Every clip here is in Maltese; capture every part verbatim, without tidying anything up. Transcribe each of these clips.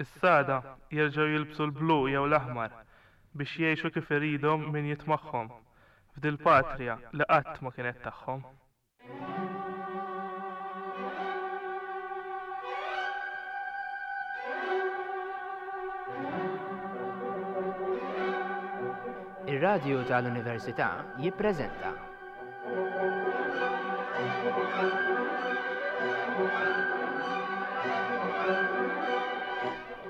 Issa għada jerġgħu jilbsu l-blu jew l-aħmar biex jgħixu kif iridhom min jitmagħhom f'dil-patria li qatt ma kienet tagħhom. Ir-Radju tal-Università jippreżenta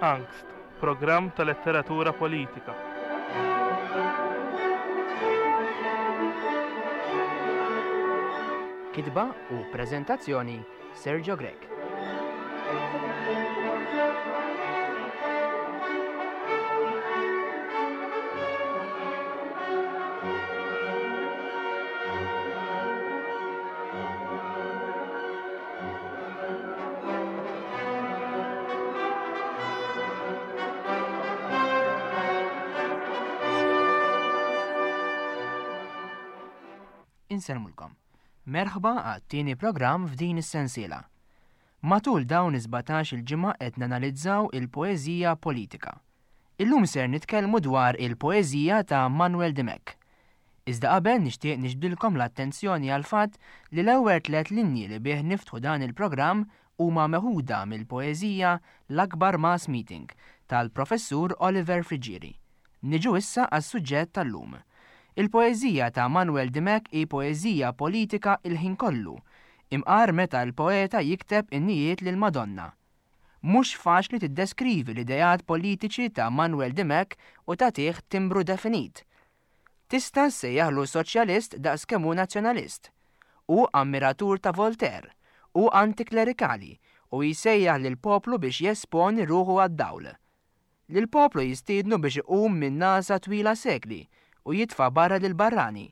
Angst, programm ta' letteratura politika. Kitba u preżentazzjoni Sergio Grech. Insellmulkom. Merħba għat-tieni programm f'din is-sensiela. Matul dawn is-sbatax il-ġimgħa qed nanalizzaw il-poeżija politika. Illum ser nitkellmu dwar il-poeżija ta' Manuel Dimech. Iżda qabel nixtieq niġbdilkom l-attenzjoni għal fatt li l-ewwel tliet linji li bih niftħu dan il-programm huma meħuda mill-poeżija L-Akbar Mass Meeting tal-Professur Oliver Friggieri. Niġu issa għas-suġġett tal-lum. Il-poeżija ta' Manuel Dimech hi poeżija politika il-ħin kollu, imqar meta l-poeta jikteb innijiet lil Madonna. Mhux faċli tiddeskrivi l-ideat politiċi ta' Manuel Dimech u tagħtih timbru definit. Tista' ssejjaħlu soċjalist daqs kemm hu nazzjonalist. Hu ammiratur ta' Voltaire, hu antiklerikali u jsejjaħ lill-poplu biex jesponi ruħu għad-dawl. Lill-poplu jistiednu biex iqum minn nasa twila sekli u jitfa' barra lil barrani.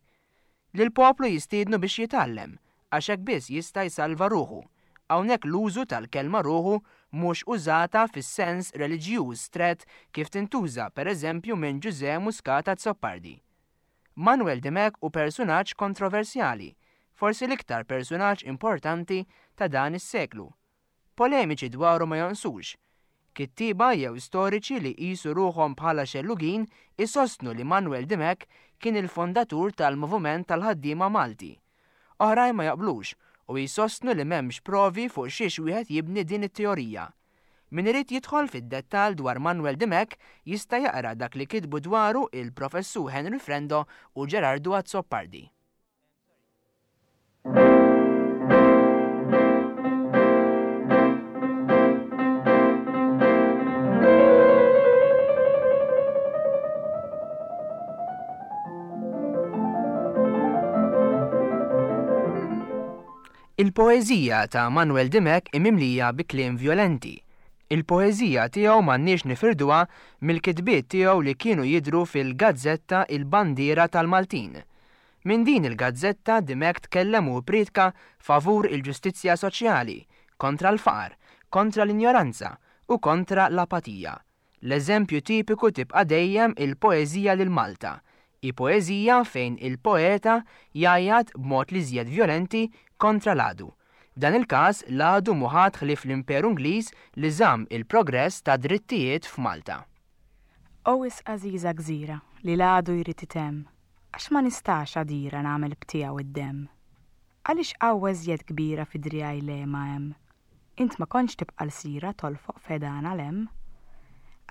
Lill-poplu jistiednu biex jitgħallem, għax hekk biss jista' jsalva ruħu. Hawnhekk l-użu tal-kelma ruħu mhux użata fis-sens reliġjuż strett kif tintuża pereżempju minn Ġużè Muscat Azzopardi. Manuel Dimech hu persunaġġ kontroversjali, forsi l-iktar persunaġġ importanti ta' dan is-seklu. Polemiċi dwaru ma jonqsux. Kittieba jew storiċi li jqisu ruħhom bħala xellugin isostnu li Manuel Dimech kien il-fondatur tal-Moviment tal-Ħaddiema Malti. Oħrajn ma jaqblux u jsostnu li m'hemmx provi fuq xiex wieħed jibni din it-teorija. Min irid jidħol fid-dettall dwar Manuel Dimech jista' jaqra dak li kitbu dwaru il-Professur Henry Frendo u Gerardo Azzopardi. Il-poeżija ta' Manuel Dimech imimlija bi kliem violenti. Il-poeżija tiegħu m'għandniex nifirduha mill-kitbiet tiegħu li kienu jidhru fil-gazzetta Il-Bandiera tal-Maltin. Minn din il-gazzetta Dimech tkellem u ppriedka favur il-ġustizzja soċjali, kontra l-faqar, kontra l-injoranza u kontra l-apatija. L-eżempju tipiku tibqa' dejjem il-poeżija lil Malta, hi poeżija fejn il-poeta jgħajjat b'mod li żjed violenti kontra l-għadu. F'dan il-każ l-għadu mhu ħadd ħlief l-Imperu Ingliż li żamm il-progress ta' drittijiet f'Malta. O wisq għażiża gżira li l-għadu jrid itemm, għax ma nistax għadira nagħmel btiegħu id-demm. Għaliex qawwa iżjed kbira fi driegħi le ma hemm? Int ma kontx tibqa' lsira tolfoq fedana l-hemm.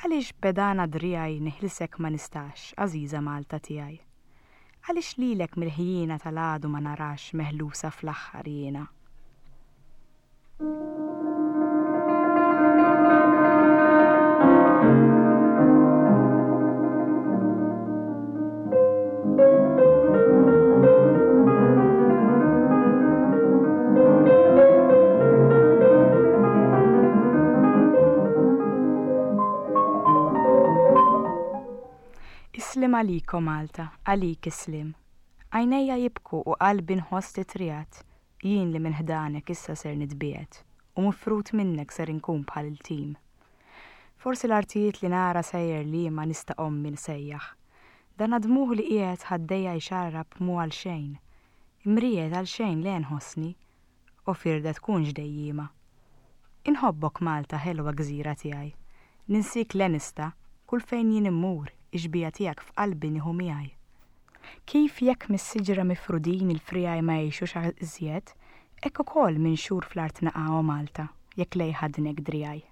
Għaliex b'pedana driegħi neħilsek ma nistax, għażiża Malta tiegħi? Għaliex lilek mill-ħjiena tal-għadu ma narax meħlusa fl-aħħar jiena? Islim għalik, o Malta, għalik islim. Għajnejja jibku u qalbi nħoss titriegħed, jien li minn ħdanek issa ser nitbiegħed, u mifrut minnek ser inkun bħal il-tim. Forsi l-artijiet li nara sejjer li ma nista' ommi nsejjaħ. Dan għadmuh li qiegħed ħaddejja jxarrab mu għal xejn. Imriegħed għal xejn le nħossni, u firda tkunx dejjiema. Inħobbok Malta ħelwa gżira tiegħi. Ninsiek le nista', kull fejn jien immur, ix-xbieha tiegħek f'qalbi nieħu miegħi. Kif jekk mis-siġra mifrudin il-friegħi ma jgħixux iżjed, hekk ukoll minn xhur fl-art naqa' o Malta, jekk lej ħadnek driegħi.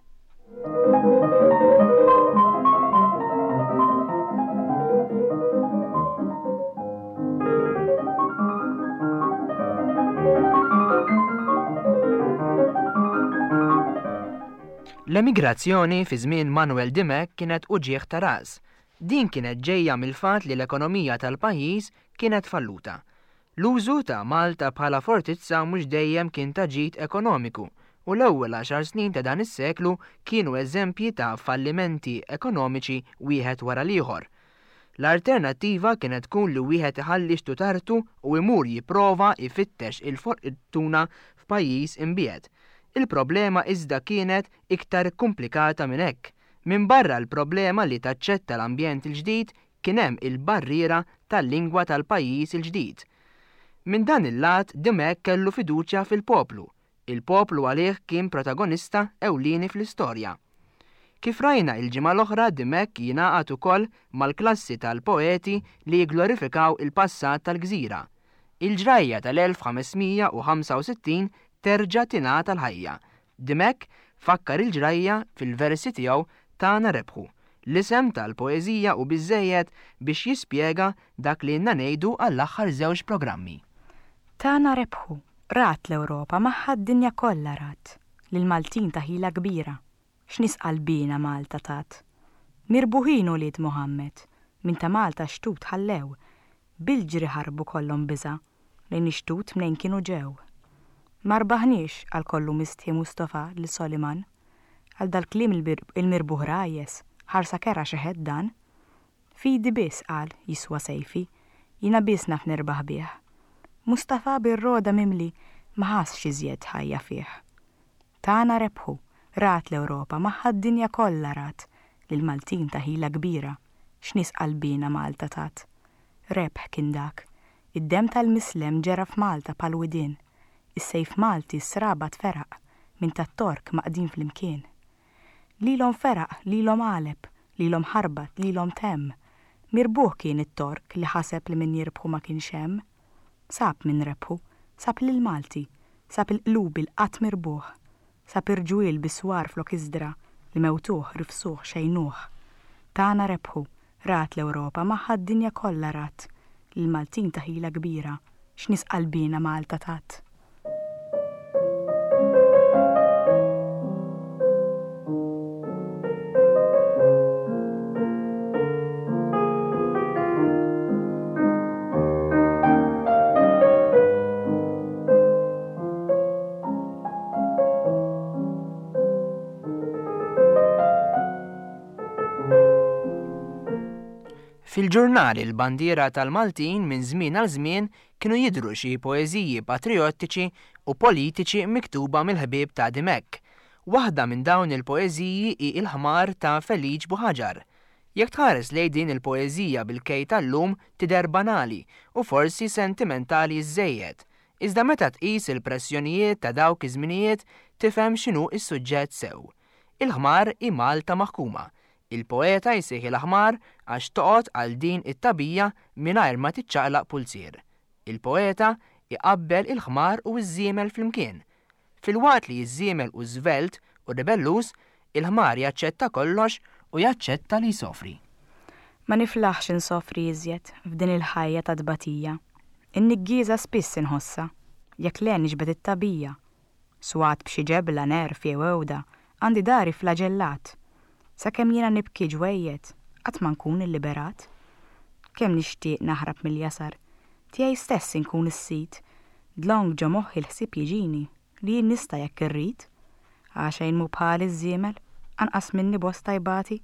L-emigrazzjoni fi żmien Manuel Dimech kienet uġigħ ta' ras. Din kienet ġejja mill-fatt li l-ekonomija tal-pajjiż kienet falluta. L-użu ta' Malta bħala fortizza mhux dejjem kien ta' ġid ekonomiku u l-ewwel għaxar snin ta' dan is-seklu kienu eżempji ta' fallimenti ekonomiċi wieħed wara l-ieħor. L-alternattiva kienet tkun li wieħed iħalli xtutartu u imur jipprova jfittex il-fortuna f'pajjiż imbiegħed. Il-problema iżda kienet iktar komplikata minn hekk. Minn barra l-problema li taċċetta l-ambjent il-ġdid kien hemm il-barriera tal-lingwa tal-pajjiż il-ġdid. Minn dan il-lat Dimech kellu fiduċja fil-poplu. Il-poplu għalih kien protagonista ewlieni fl-istorja. Kif rajna il-ġimgħa l-oħra, Dimech jingħaqad ukoll mal-klassi tal-poeti li jigglorifikaw il-passat tal-gżira. Il-ġrajja tal-elf ħames mija u ħamsa u sittin terġa' tingħata l-ħajja. Dimech fakkar il-ġrajja fil-versi tiegħu Tagħna Rebħu. L-isem tal-poeżija u biżżejjed biex jispjega dak li ilna ngħidu għall-aħħar żewġ programmi. Tagħna rebħu, rat l-Ewropa magħha d-dinja kollha rat, lil Maltin ta' ħila kbira, x'nies qalbina Malta tat. Mirbuħin ulied Muhammed, minn ta' Malta xtut ħallew, bil-ġri ħarbu kollhom biża', lejn ix-xtut mnejn kienu ġew. Ma rbaħniex għal kollu mistħi Mustafa lil Soliman, għal dal-kliem il-bir-, il-mirbuħ rajes, ħarsa kera xeħed dan. Fidi biss qal jiswa sejfi, jina biss naf nirbaħ bih. Mustafa bir-roda mimli ma ħassx iżjed ħajja fih. Tagħna rebħu, rat l-Ewropa magħha d-dinja kollha rat, lil Maltin ta' ħila kbira, x'nies qalbina Malta tat. Rebħ kien dak, id-dem tal-mislem ġera f'Malta pal-widien, is-sejf Malti s-sraba tferaq minn tat-Tork maqdin flimkien. Lilhom feraq, lilhom għaleb, lilhom ħarbat, lilhom temm. Mirbuħ kien it-Tork li ħaseb li min jirbħu ma kienx hemm. Sab min rebħu, sab lil Malti, sab il-qlub il-qatt mirbuħ, sab irġwiel biswar flok iżdra li mewtuh, rifsuh, xejnuh. Tagħna rebħu, rat l-Ewropa magħha d-dinja kollha rat, lil Maltin ta' ħila kbira, x'nies qalbina Malta tat. Fil-ġurnali l-bandiera tal-Maltin minn żmien għal żmien kienu jidhru xi poeżiji patriottiċi u politiċi miktuba mill-ħbieb ta' Dimech. Waħda minn dawn il-poeżiji hi Il-Ħmar ta' Feliċ Buħaġar. Jekk tħares lejn din il-poeżija bil-kej tal-lum tidher banali u forsi sentimentali żejjed. Iżda meta tqis il-pressjonijiet ta' dawk iż-żminijiet tifhem x'inhu s-suġġett sew. Il-ħmar hi Malta maħkuma. Il-poeta jsejħi l-aħmar għax toqgħod għal din it-tabija mingħajr ma tiċċaqlaq pulzier. Il-poeta iqabbel il-ħmar u ż-żiemel flimkien. Filwaqt li ż-żiemel u żvelt u ribellus, il-ħmar jaċċetta kollox u jaċċetta li jsofri. Ma niflaħx insofri iżjed f'din il-ħajja ta' tbatija. In-niggieża spiss inħossa, jekk le niġbed it-tabija. Swat b'xi ġebla nerf jew ewda, għandi dari flaġellat. Sakemm jiena nibki ġwejjed, qatt ma nkun illiberat. Kemm nixtieq naħrab mill-jasar, tiegħi stess inkun is-sid, dlong ġo moħħi l-ħsieb jiġini li jien nista' jekk irrid. Għax xejn mhu bħali ż-żiemel, anqas minni bosta jbati,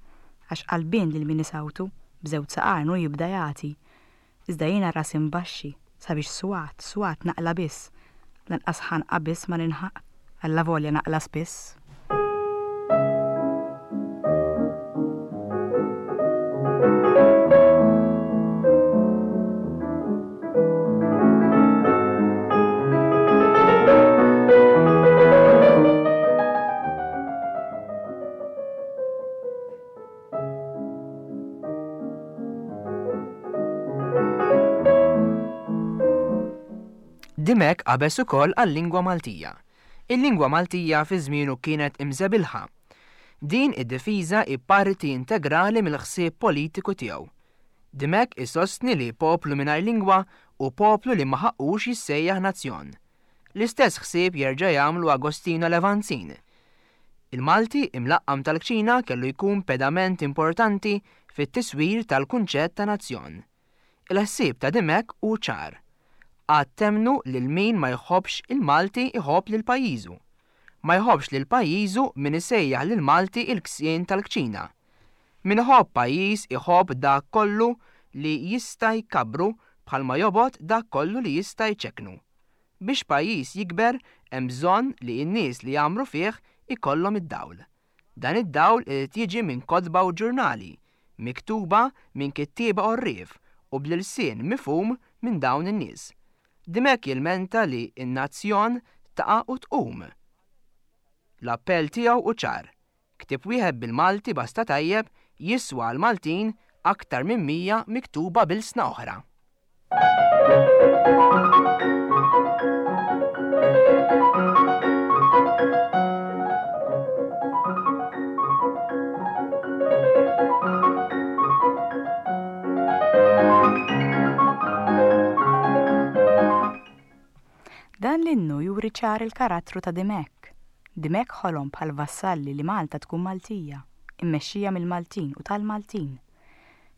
għax qalbin lil min isawtu, b'żewġ saqajn u jibda jagħti. Iżda jiena rasi mbaxxi, sabiex swat, swat naqla biss, lanqas ħanqa biss ma ninħaq, alla volja naqla spiss. Dimech qabeż ukoll għal-lingwa Maltija. Il-lingwa Maltija fi żmienu kienet imżebilħa. Din id-difiża hi parti integrali mill-ħsieb politiku tiegħu. Dimech isostni li poplu mingħajr lingwa hu poplu li ma ħaqqux jissejjaħ nazzjon. L-istess ħsieb jerġa' jagħmlu Agostino Levanzin. Il-Malti imlaqqam tal-kċina kellu jkun pedament importanti fit-tiswir tal-kunċett ta' nazzjon. Il-ħsieb ta' Dimech hu ċar. Qatt temmnu lil min ma jħobbx il-Malti iħobb lil pajjiżu. Ma jħobbx lil pajjiżu min isejjaħ lil Malti il-ksien tal-kċina. Min iħobb pajjiż iħobb dak kollu li jista' jkabbru bħalma jobgħod dak kollu li jista' jċekknu. Biex pajjiż jikber hemm bżonn li n-nies li jgħammru fih ikollhom id-dawl. Dan id-dawl irid jiġi minn kotba u ġurnali, miktuba minn kittieba għorrief u bl-ilsien mifhum minn dawn in-nies. Dimech jilmenta li n-nazzjon taqa' u tqum. L-appell tiegħu hu ċar. Ktieb wieħed bil-Malti basta tajjeb jiswa għall-Maltin aktar minn mija miktuba b'ilsna oħra. Dan l-innu juri ċar il-karattru ta' Dimech. Dimech ħolom bħal Vassalli li Malta tkun Maltija, immexxija mill-Maltin u tal-Maltin.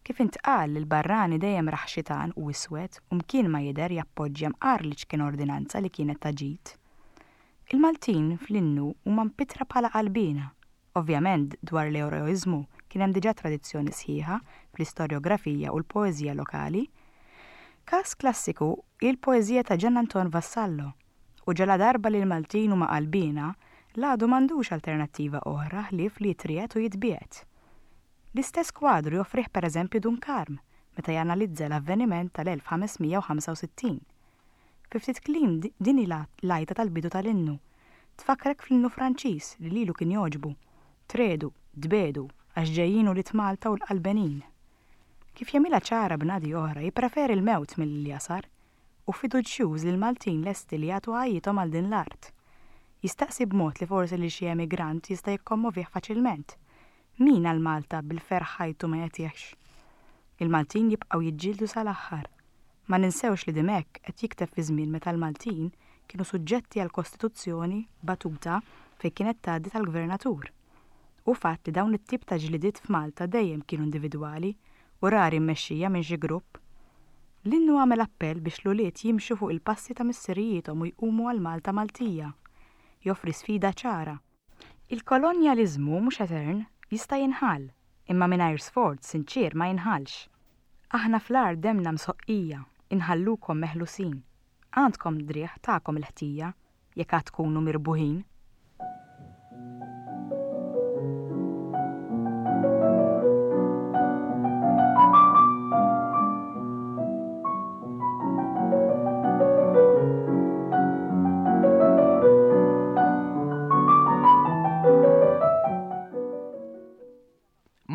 Kif intqal li l-barrani dejjem raħ xitan u iswed u mkien ma jidher jappoġġja mqar li ċkien ordinanza li kienet ta' ġid. Il-Maltin fl-innu huma mpittra bħala qalbina. Ovvjament dwar l-eroiżmu kien hemm diġà tradizzjoni sħiħa fl-istorjografija u l-poeżija lokali. Każ klassiku hi l-poeżija ta' Gian Anton Vassallo u ġala darba li l-Maltin huma qalbina, l-għadu m'għandux alternattiva oħra ħlief li jitriegħed u jitbiegħed. L-istess kwadru joffrih pereżempju Dun Karm meta janalizza l-avveniment tal-elf ħames mija u ħamsa u sittin. Fi ftit kliem din hi l-għajta tal-bidu tal-innu. Tfakkrek fl-innu Franċiż li lilu kien jogħġbu. Tredu, tbedu, għax ġejjin ulied Malta u l-qalbenin. Kif jagħmilha ċara b'nadi oħra, jippreferi l-mewt milli jasar u fiduċjuż li l-Maltin lesti li jagħtu ħajjithom għal din l-art. Jistaqsi b'mod li forsi li xi emigrant jista' jikkommovih faċilment. Min għal Malta bil-ferħ ħajtu ma jagħtihx? Il-Maltin jibqgħu jiġġieldu sal-aħħar. Ma ninsewx li Dimech qed jikteb fi żmien meta l-Maltin kienu suġġetti għal kostituzzjoni batuta fejn kienet tgħaddi tal-gvernatur. U fatt li dawn it-tip ta' ġlidiet f'Malta dejjem kienu individwali u rari mmexxija minn xi grupp. L-innu għamel appell biex l-ulied jimxu fuq il-passi ta' missirijiethom u jqumu għal Malta Maltija. Joffri sfida ċara. Il-kolonjaliżmu mhux etern, jista' jinħall, imma mingħajr sforz sinċier ma jinħallx. Aħna fl-art demna msoqqija, inħallukom meħlusin. Għandkom driegħ tagħkom il-ħtija, jekk għad tkunu mirbuħin.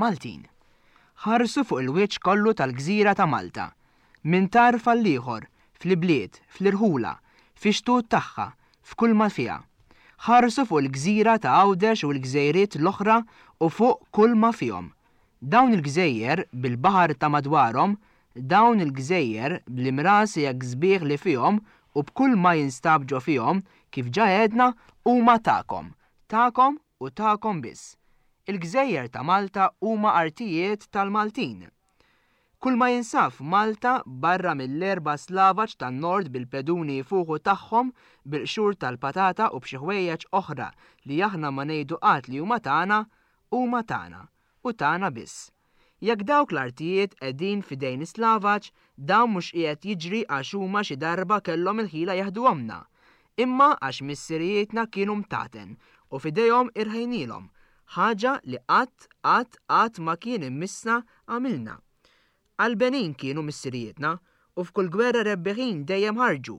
Maltin. Ħarsu fuq il-wiċċ kollu tal-gżira ta' Malta, minn tarf għal ieħor, fl-ibliet, fl-irħula, fix-xtut tagħha, f'kull ma fiha. Ħarsu fuq il-gżira ta' Għawdex u l-gżejriet l-oħra u fuq kull ma fihom. Dawn il-gżejjer bil-baħar ta' madwarhom, dawn il-gżejjer bl-imrasi hekk sbieħ li fihom u b'kull ma jinstab ġo fihom, kif ġa għedna, huma tagħkom, tagħkom u tagħkom biss. Il-gżejjer ta' Malta huma artijiet tal-Maltin. Kull ma jinsab f'Malta barra mill-erba' slavaġ tan-nord bil-peduni jfuħu tagħhom, bil-qxur tal-patata u b'xi ħwejjeġ oħra li aħna ma ngħidu qatt li huma tagħna, huma tagħna u tagħna biss. Jekk dawk l-artijiet qegħdin f'idejn is-slavaġ, dawn mhux qiegħed jiġri għax huma xi darba kellhom il-ħila jaħduhomna, imma għax missirijietna kienu mtaten u f'idejhom irħejnielhom, ħaġa li qatt, qatt, qatt ma kien immissna għamilna. Qalbenin kienu missirijietna u f'kull gwerra rebbieħin dejjem ħarġu,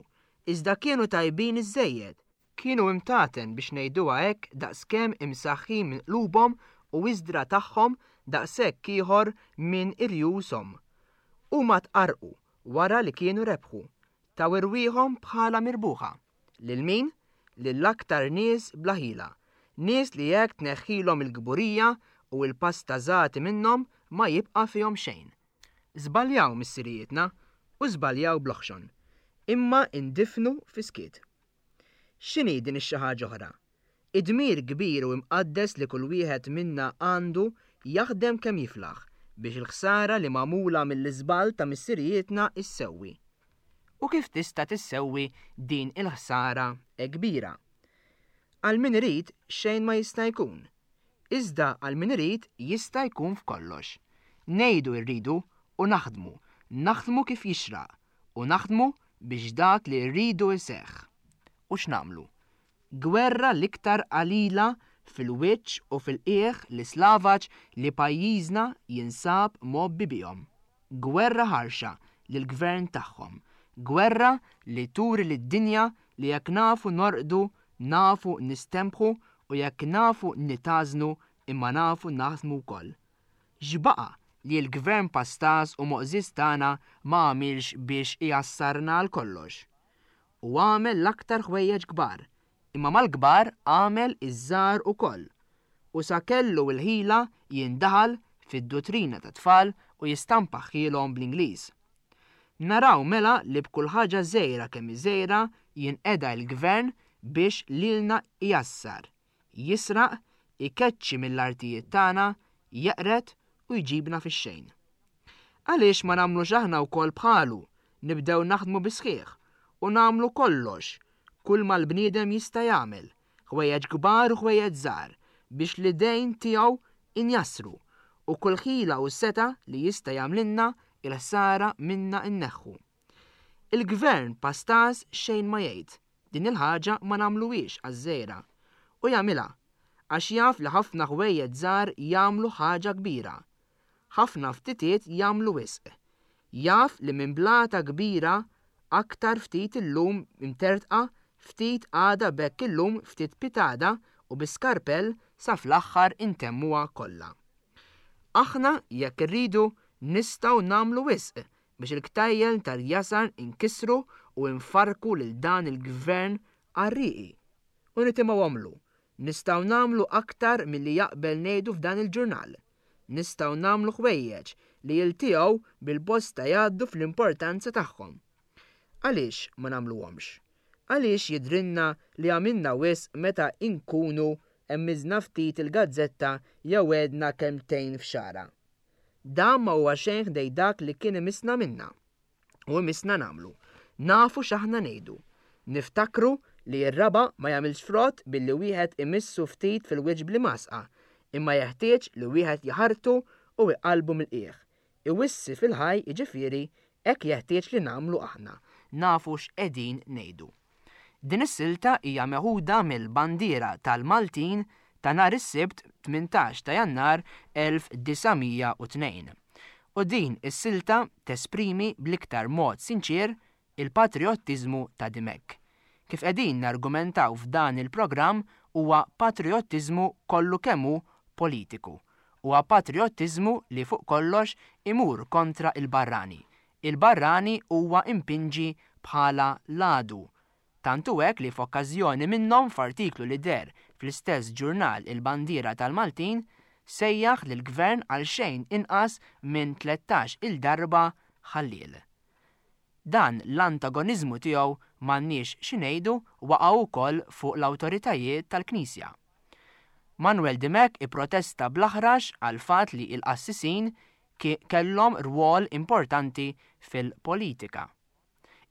iżda kienu tajbin iżżejjed. Kienu imtaten biex ngħiduha hekk daqskemm imsaħħin minn qlubhom u iżdra tagħhom daqshekk ieħor minn irjushom. Huma tqarrqu wara li kienu rebħu, Taw irwieħhom bħala mirbuħa. Lil min? Lill-aktar nies bla ħila. Nies li jekk tneħħilhom il-kburija u l-pastażati minnhom ma jibqa' fihom xejn. Żbaljaw missirijietna u żbaljaw bl-oħxon, imma indifnu fis-skiet. X'inhi din ix-xi ħaġa oħra? Id-dmir kbir u imqaddes li kull wieħed minna għandu jaħdem kemm jiflaħ biex il-ħsara li magħmula mill-iżball ta' missirijietna issewwi. U kif tista' tissewwi din il-ħsara hekk kbira? Għal min irid xejn ma jista' jkun. Iżda għal min irid jista' jkun f'kollox. Ngħidu rridu u naħdmu, naħdmu kif jixraq u naħdmu biex dak li rridu jseħħ. U x'nagħmlu? Gwerra l-iktar qalila fil-wiċċ u fil-qiegħ l-islavaġ li pajjiżna jinsab mgħobbi bihom. Gwerra ħarxa lill-gvern tagħhom. Gwerra li turi lid-dinja li jekk nafu norqdu, nafu nistembħu u jekk nafu nitażnu imma nafu naħdmu wkoll. X'baqa' li l-gvern pastaż u moqżież tagħna ma għamilx biex ijassarna għal kollox? U għamel l-aktar ħwejjeġ kbar, imma mal-kbar għamel iż-żgħar ukoll. U sa kellu l-ħila jindaħal fid-duttrina tat-tfal u jistampaħħilhom bl-Ingliż. Naraw mela li b'kull ħaġa żgħira kemm hi żgħira jinqeda l-gvern biex lilna ijassar, jisraq, ikeċċi mill-artijiet tagħna, jeqred u jġibna fix-xejn. Għaliex ma nagħmlux aħna wkoll bħalu, nibdew naħdmu bis-sħiħ u nagħmlu kollox, kull ma l-bniedem jista' jagħmel, ħwejjeġ kbar u ħwejjeġ żgħar, biex l-idejn tiegħu injassru u kull ħila u seta li jista' jagħmlilna il-ħsara minna nneħħu. Il-gvern pastaż xejn ma jgħid, din il-ħaġa ma nagħmluhiex għaż-żgħira. U jagħmilha għax jaf li ħafna ħwejjeġ żgħar jagħmlu ħaġa kbira. Ħafna ftitiet jagħmlu wisq. Jaf li minn blata kbira aktar ftit illum imtertqa, ftit għada b'hekk illum ftit pitada u bi skarpell sa fl-aħħar intemmuha kollha. Aħna jekk irridu nistgħu nagħmlu wisq biex il-ktajjel tal-jasar inkisru u nfarku lil dan il-gvern qarrieqi. U nitimgħu nistgħu nagħmlu aktar milli jaqbel ngħidu f'dan il-ġurnal. Nistgħu nagħmlu ħwejjeġ li jiltiegħu bil-bosta jgħaddu fl-importanza tagħhom. Għaliex ma nagħmluhomx? Għaliex jidrinna li għamilna wisq meta inkunu emmiżna ftit il-gazzetta jew għedna kelmtejn f'xara? Dan ma huwa xejn ħdej dak li kien imissna minna u imissna nagħmlu. Nafu x'aħna ngħidu. Niftakru li r-raba' ma jagħmilx frott billi wieħed imissu ftit fil-wiċċ bl-imgħasqa, imma jeħtieġ li wieħed jaħartu u iqalbu mill-qiegħ. Iwissi fil-ħaj jiġifieri hekk jeħtieġ li nagħmlu aħna. Nafu x'qegħdin ngħidu. Din is-silta hija meħuda mill-bandiera tal-Maltin ta' nhar is-Sibt tmintax ta' Jannar elf disa' mija u tnejn. U din is-silta tesprimi bl-iktar mod sinċier il-patriottiżmu ta' Dimech. Kif qegħdin nargumentaw f'dan il-programm huwa patriottiżmu kollu kemm hu politiku. Huwa patriottiżmu li fuq kollox imur kontra il-barrani. Il-barrani huwa impinġi bħala l-għadu. Tantu hekk li f'okkażjoni minnhom f'artiklu li deher fl-istess ġurnal Il-Bandiera tal-Maltin sejjaħ lill-gvern għal xejn inqas minn tlettax il-darba ħalliel. Dan l-antagoniżmu tiegħu m'għandniex xi ngħidu waqgħu wkoll fuq l-awtoritajiet tal-Knisja. Manuel Dimech ipprotesta bl-aħrax għal fatt li l-qassisin ki-, kellhom rwol importanti fil-politika.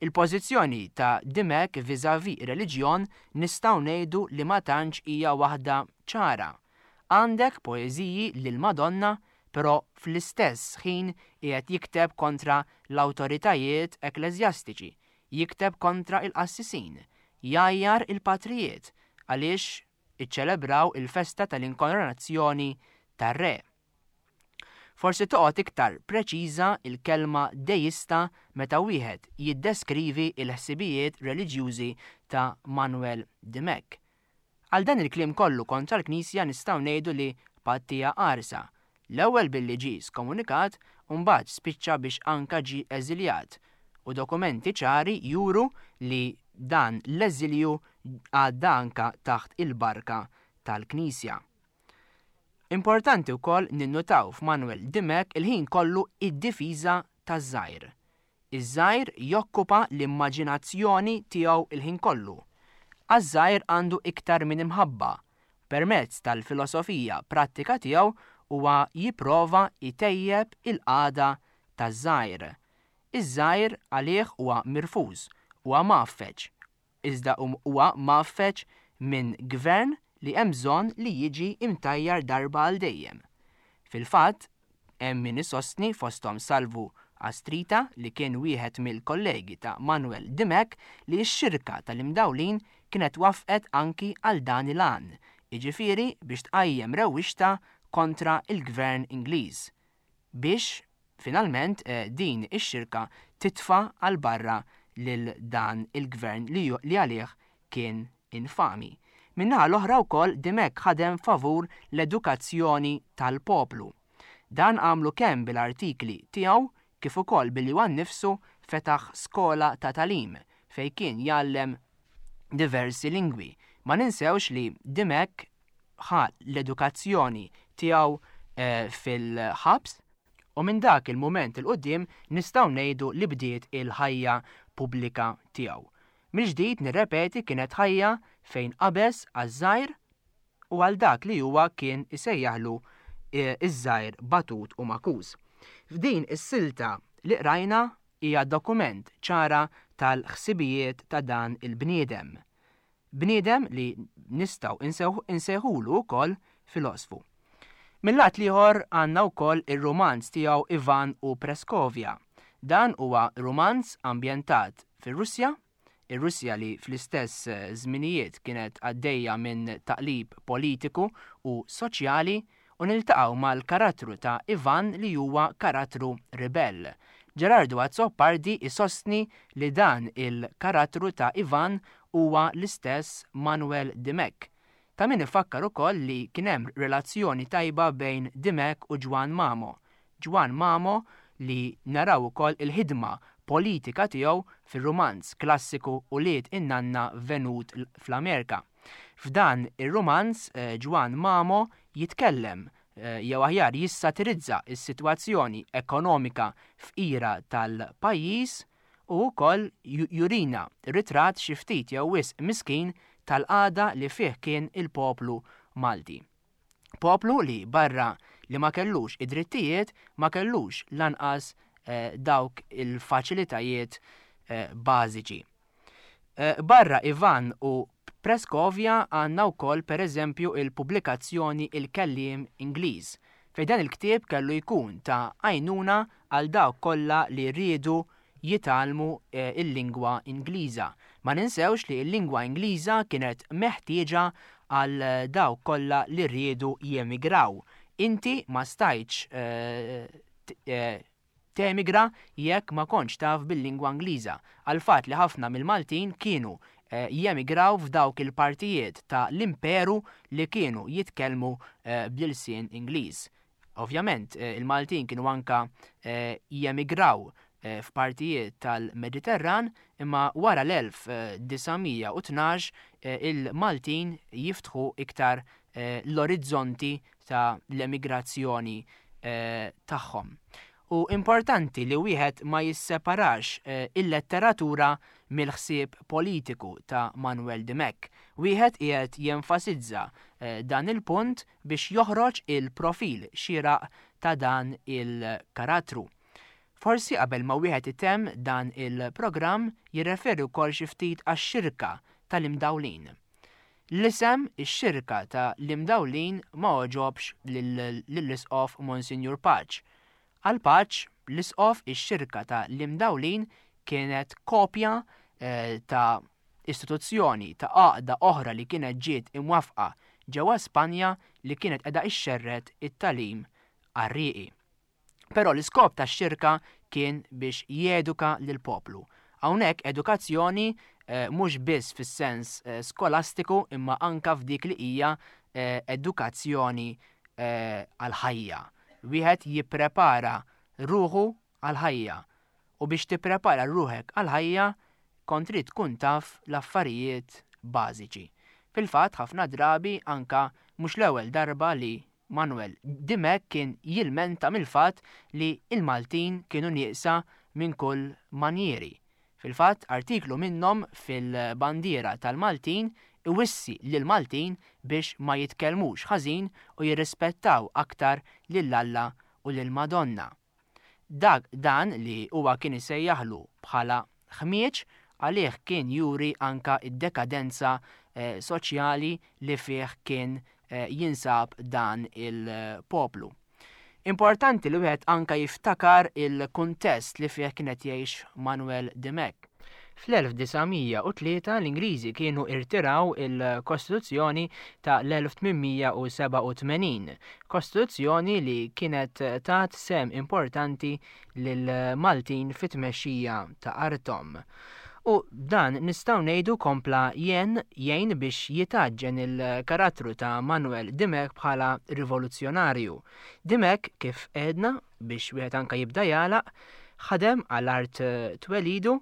Il-pożizzjoni ta' Dimech vis-à-vis reliġjon nistgħu ngħidu li ma tantx hija waħda ċara. Għandek poeżiji lil Madonna, però fl-istess ħin qiegħed jikteb kontra l-awtoritajiet ekkleżjastiċi, jikteb kontra il-qassisin, jgħajjar il-patrijiet għaliex iċċelebraw il-festa tal-inkoronazzjoni tar-re. Forsi toqgħod iktar preċiża il-kelma deista meta wieħed jiddeskrivi il-ħsibijiet reliġjużi ta' Manuel Dimech. Għal dan il-kliem kollu kontra l-Knisja nistgħu ngħidu li pattija qarsa. L-ewwel billi ġie skomunikat u mbagħad spiċċa biex anka ġie eżiljat. U dokumenti ċari juru li dan l-eżilju għadda anka taħt il-barka tal-Knisja. Importanti wkoll ninnutaw f'Manuel Dimech il-ħin kollu id-difiża taż-żgħir. Iż-żgħir jokkupa l-immaġinazzjoni tiegħu il-ħin kollu. Għaż-żgħir għandu iktar minn imħabba. Permezz tal-filosofija prattika tiegħu huwa jipprova jtejjeb il-qagħda taż-żgħir. Iż-żgħir għalih huwa mirfuż, huwa mgħaffeġ, iżda huwa mgħaffeġ minn gvern li hemm bżonn li jiġi imtajjar darba għal dejjem. Fil-fatt, hemm min isostni fosthom Salvu Astrita li kien wieħed mill-kollegi ta' Manuel Dimech li x-xirka tal-imdawlin kienet wafqet anki għal dan il-għan, jiġifieri biex tqajjem rewwixta kontra il-gvern Ingliż. Biex finalment eh, din ix-xirka titfa' għal barra lil dan il-gvern li għalih kien infami. Min-naħa l-oħra wkoll Dimech ħadem favur l-edukazzjoni tal-poplu. Dan għamlu kemm bil-artikli tiegħu kif ukoll billi huwa nnifsu fetaħ skola ta' tagħlim fejn kien jgħallem diversi lingwi. Ma ninsewx li Dimech ħa l-edukazzjoni tiegħu eh, fil-ħabs u minn dak il-mument 'il quddiem nistgħu ngħidu li bdiet il-ħajja pubblika tiegħu. Mill-ġdid nirrepeti kienet ħajja fejn qabeż għaż-żgħir u għal dak li huwa kien isejjaħlu eh, iż-żgħir batut u makuż. F'din is-silta li qrajna hija dokument ċara tal-ħsibijiet ta' dan il-bniedem. Bniedem li nistgħu insejħulu wkoll filosfu. Mill-lat l-ieħor għandna wkoll ir-rumanz tiegħu Ivan u Preskovja. Dan huwa rumanz ambjentat fir-Russja, ir-Russja li fl-istess żminijiet kienet għaddejja minn taqlib politiku u soċjali u niltaqgħu mal-karattru ta' Ivan li huwa karattru ribell. Gerardo Azzopardi isostni li dan il-karattru ta' Ivan huwa l-istess Manuel Dimech. Ta' min ifakkar ukoll li kien hemm relazzjoni tajba bejn Dimech u Ġwann Mamo. Ġwann Mamo li naraw ukoll il-ħidma politika tiegħu fir-rumanz klassiku Ulied in-Nanna Venut fl-Amerika. F'dan ir-rumanz eh, Ġwann Mamo jitkellem eh, jew aħjar jissatirizza s-sitwazzjoni ekonomika fqira tal-pajjiż u wkoll jurina ritratt xi ftit jew wisq miskin tal-qagħda li fih kien il-poplu Malti. Poplu li barra li ma kellux id-drittijiet ma kellux lanqas eh, dawk il-faċilitajiet eh, bażiċi. Eh, barra Ivan u Preskovja għandna wkoll pereżempju il-pubblikazzjoni Il-Kelliem Ingliż, fejn dan il-ktieb kellu jkun ta' għajnuna għal dawk kollha li riedu jitgħallmu eh, il-lingwa Ingliża. Ma ninsewx li l-lingwa Ingliża kienet meħtieġa għal dawk kollha li riedu jemigraw. Inti ma stajtx eh, eh, temigra jekk ma kontx taf bil-lingwa Ingliża, għal fatt li ħafna mill-Maltin kienu eh, jemigraw f'dawk il-partijiet ta' l-imperu li kienu jitkellmu eh, bl-ilsien Ingliż. Ovvjament, eh, il-Maltin kienu anka jemigraw f'partijiet tal-Mediterran, imma wara l-elf disa' mija u tnax il-Maltin jiftħu iktar l-orizzonti ta' l-emigrazzjoni tagħhom. U importanti li wieħed ma jisseparax il-letteratura mill-ħsieb politiku ta' Manuel Dimech. Wieħed qiegħed jenfasizza dan il-punt biex joħroġ il-profil xieraq ta' dan il-karattru. Forsi qabel ma wieħed itemm dan il-programm jirreferi wkoll xi ftit għax-xirka tal-imdawlin. L-isem ix-xirka ta' l-imdawlin ma għoġobx lill-isqof Monsinjur Pace. Għal Pace, l-isqof ix-xirka ta' l-imdawlin kienet kopja, eh, ta' istituzzjoni ta' għaqda oħra li kienet ġiet imwafqa ġewwa Spanja li kienet qiegħda ixxerred it-tagħlim għarrieqi. Però l-iskop tax-xirka kien biex jeduka lill-poplu. Hawnhekk edukazzjoni, eh, mhux biss fis-sens, eh, skolastiku imma anka f'dik li hija, eh, edukazzjoni, eh, għall-ħajja. Wieħed jipprepara ruħu għall-ħajja. U biex tipprepara ruħek għall-ħajja kont trid tkun taf l-affarijiet bażiċi. Fil-fatt, ħafna drabi, anka mhux l-ewwel darba li Manuel Dimech kien jilmenta mill-fatt li il-Maltin kienu nieqsa minn kull manjieri. Fil-fatt, artiklu minnhom fil-Bandiera tal-Maltin iwissi lil Maltin biex ma jitkellmux ħażin u jirrispettaw aktar lil Alla u lil Madonna. Dak dan li huwa kien isejjaħlu bħala ħmieġ għalih kien juri anka id-dekadenza eh, soċjali li fih kien eh, jinsab dan il-poplu. Importanti li wieħed anka jiftakar il-kuntest li fih kienet jgħix Manuel Dimech. Fl-elf disa' mija u tlieta l-Ingliżi kienu irtiraw il-Kostituzzjoni ta' l-elf tmien mija u sebgħa u tmenin, kostituzzjoni li kienet tat sehem importanti lil Maltin fit-tmexxija ta' artom. U dan nistgħu ngħidu kompla jen jgħin biex jitgħaġġen il-karattru ta' Manuel Dimech bħala rivoluzzjonarju. Dimech, kif għedna, biex wieħed anka jibda jagħlaq, ħadem għal art twelidu,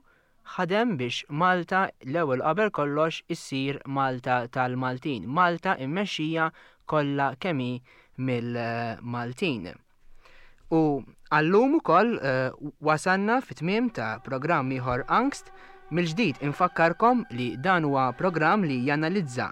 ħadem biex Malta l-ewwel qabel kollox issir Malta tal-Maltin, Malta immexxija kollha kemm hi mill-Maltin. U għallum ukoll uh, wasanna fit-tmiem ta' programm ieħor Angst. Mill-ġdid infakkarkom li dan huwa programm li janalizza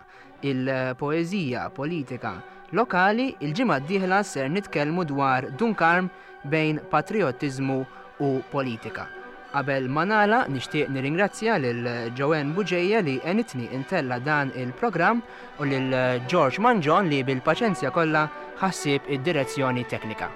il-poeżija politika lokali. Il-ġimgħa d-dieħla ser nitkellmu dwar Dun Karm bejn patriottiżmu u politika. Qabel ma nagħlaq, nixtieq nirringrazzja lil Joanne Buġeja li għenitni ntella' dan il-programm u lil George Manġon li bil-paċenzja kollha ħa ħsieb id-direzzjoni teknika.